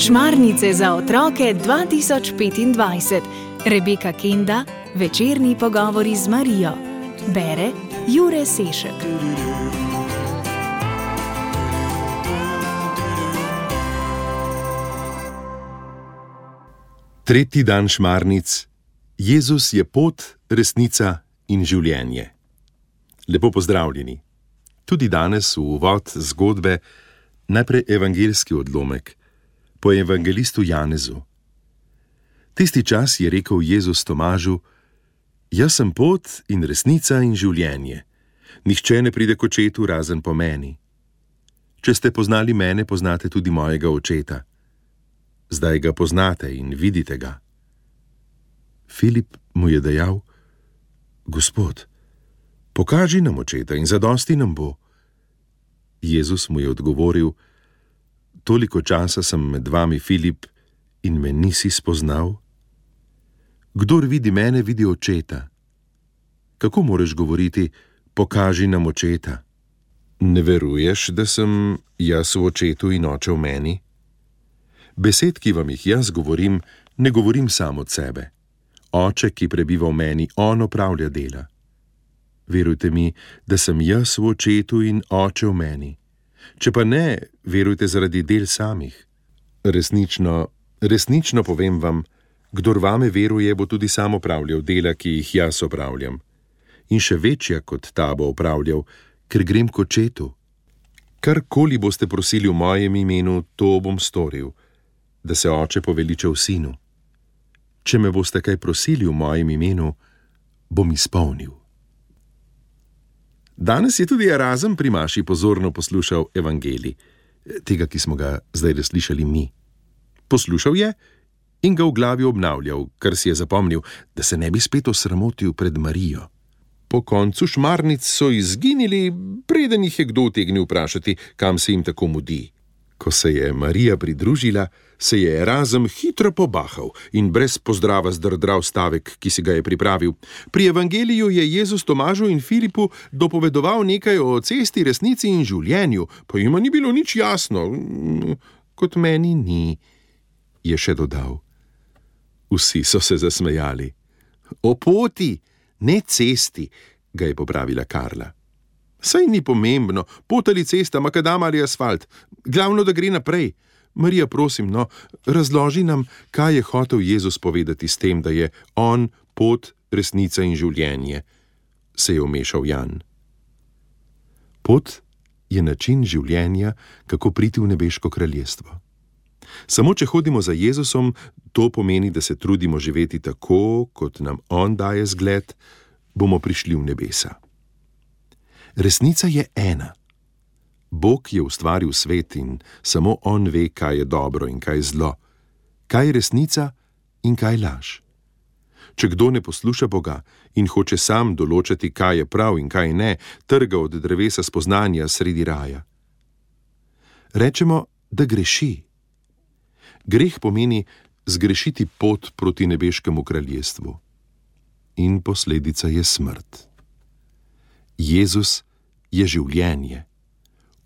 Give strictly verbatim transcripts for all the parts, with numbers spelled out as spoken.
Šmarnice za otroke dva tisoč petindvajset. Rebeka Kenda, večerni pogovori z Marijo. Bere Jure Sešek. Tretji dan šmarnic. Jezus je pot, resnica in življenje. Lepo pozdravljeni. Tudi danes v uvod zgodbe najprej evangeljski odlomek po evangelistu Janezu. Tisti čas je rekel Jezus Tomažu: Jaz sem pot in resnica in življenje. Nihče ne pride k očetu razen po meni. Če ste poznali mene, poznate tudi mojega očeta. Zdaj ga poznate in vidite ga. Filip mu je dejal: Gospod, pokaži nam očeta in zadosti nam bo. Jezus mu je odgovoril: Toliko časa sem med vami, Filip, in me nisi spoznal? Kdor vidi mene, vidi očeta. Kako moreš govoriti: pokaži nam očeta? Ne veruješ, da sem jaz v očetu in oče v meni? Besed, ki vam jih jaz govorim, ne govorim sam od sebe. Oče, ki prebiva v meni, on opravlja dela. Verujte mi, da sem jaz v očetu in oče v meni. Če pa ne, verujte zaradi del samih. Resnično, resnično povem vam, kdor vame veruje, bo tudi sam opravljal dela, ki jih jaz opravljam. In še večja kot ta bo opravljal, ker grem k očetu. Karkoli boste prosili v mojem imenu, to bom storil, da se oče poveliča v sinu. Če me boste kaj prosili v mojem imenu, bom izpolnil. Danes je tudi Erazem pri maši pozorno poslušal evangelij, tega, ki smo ga zdaj slišali mi. Poslušal je in ga v glavi obnavljal, kar si je zapomnil, da se ne bi spet osramotil pred Marijo. Po koncu šmarnic so izginili, preden jih je kdo utegnil vprašati, kam se jim tako mudi. Ko se je Marija pridružila, se je Erazem hitro pobahal in brez pozdrava zdrdral stavek, ki si ga je pripravil. Pri evangeliju je Jezus Tomažu in Filipu dopovedoval nekaj o cesti, resnici in življenju, pa jima ni bilo nič jasno. Kot meni ni, je še dodal. Vsi so se zasmejali. O poti, ne cesti, ga je popravila Karla. Saj ni pomembno, pot ali cesta, makadam ali asfalt. Glavno, da gre naprej. Marija, prosim, no, razloži nam, kaj je hotel Jezus povedati s tem, da je on pot, resnica in življenje, se je vmešal Jan. Pot je način življenja, kako priti v nebeško kraljestvo. Samo če hodimo za Jezusom, to pomeni, da se trudimo živeti tako, kot nam on daje zgled, bomo prišli v nebesa. Resnica je ena. Bog je ustvaril svet in samo on ve, kaj je dobro in kaj zlo, kaj je resnica in kaj laž. Če kdo ne posluša Boga in hoče sam določati, kaj je prav in kaj ne, trga od drevesa spoznanja sredi raja. Rečemo, da greši. Greh pomeni zgrešiti pot proti nebeškemu kraljestvu. In posledica je smrt. Jezus je življenje.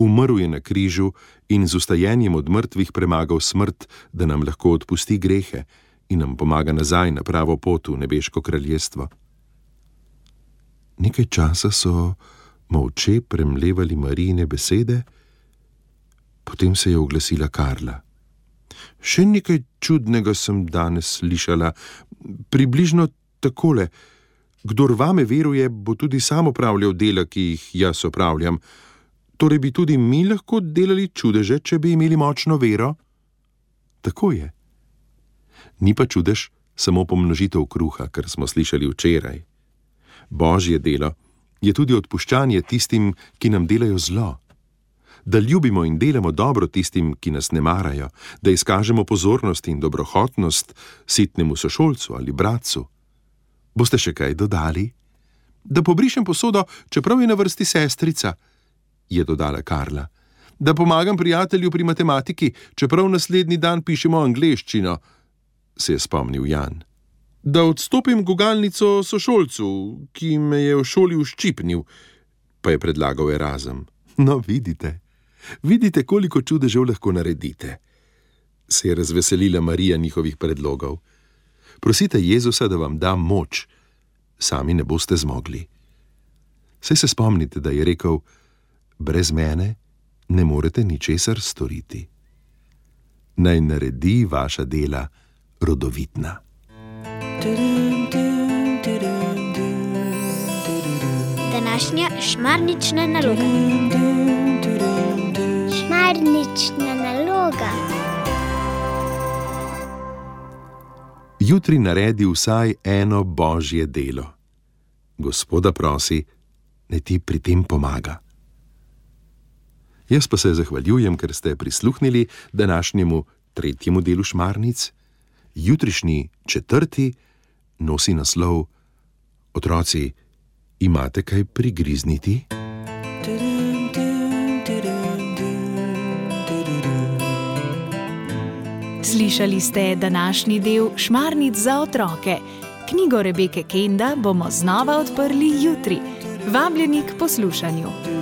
Umrl je na križu in z vstajenjem od mrtvih premagal smrt, da nam lahko odpusti grehe in nam pomaga nazaj na pravo pot v nebeško kraljestvo. Nekaj časa so molče premlevali Marijine besede, potem se je oglasila Karla. Še nekaj čudnega sem danes slišala, približno takole: Kdor vame veruje, bo tudi sam opravljal dela, ki jih jaz opravljam. Torej bi tudi mi lahko delali čudeže, če bi imeli močno vero? Tako je. Ni pa čudež samo pomnožitev kruha, kar smo slišali včeraj. Božje delo je tudi odpuščanje tistim, ki nam delajo zlo. Da ljubimo in delamo dobro tistim, ki nas ne marajo, da izkažemo pozornost in dobrohotnost sitnemu sošolcu ali bratcu. Boste še kaj dodali? Da pobrišem posodo, čeprav je na vrsti sestrica, je dodala Karla. Da pomagam prijatelju pri matematiki, čeprav naslednji dan pišemo angleščino, se je spomnil Jan. Da odstopim gugalnico sošolcu, ki me je v šoli uščipnil, pa je predlagal Erazem. No, vidite, vidite, koliko čudežev lahko naredite. Se je razveselila Marija njihovih predlogov. Prosite Jezusa, da vam da moč, sami ne boste zmogli. Saj se spomnite, da je rekel, brez mene ne morete ničesar storiti. Naj naredi vaša dela rodovitna. Današnja šmarnična naloga. Šmarnična naloga. Jutri naredi vsaj eno božje delo. Gospoda prosi, naj ti pri tem pomaga. Jaz pa se zahvaljujem, ker ste prisluhnili današnjemu tretjemu delu šmarnic. Jutrišnji četrti nosi naslov Otroci, imate kaj prigrizniti? Slišali ste današnji del Šmarnic za otroke. Knjigo Rebeke Kenda bomo znova odprli jutri. Vabljeni k poslušanju.